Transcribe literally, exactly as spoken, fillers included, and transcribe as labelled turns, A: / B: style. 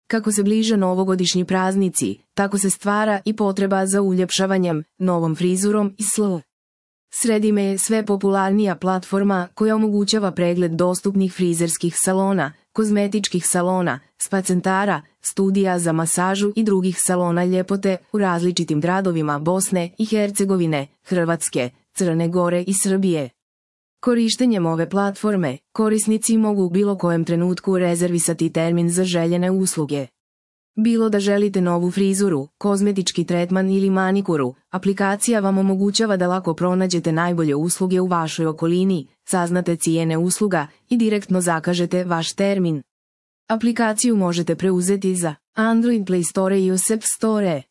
A: Kako se bliže novogodišnji praznici, tako se stvara i potreba za uljepšavanjem, novom frizurom i sl. Sredime je sve popularnija platforma koja omogućava pregled dostupnih frizerskih salona, kozmetičkih salona, spa centara, studija za masažu i drugih salona ljepote u različitim gradovima Bosne i Hercegovine, Hrvatske, Crne Gore i Srbije. Korištenjem ove platforme, korisnici mogu u bilo kojem trenutku rezervisati termin za željene usluge. Bilo da želite novu frizuru, kozmetički tretman ili manikuru, aplikacija vam omogućava da lako pronađete najbolje usluge u vašoj okolini, saznate cijene usluga i direktno zakažete vaš termin. Aplikaciju možete preuzeti za Android Play Store i iOS App Store.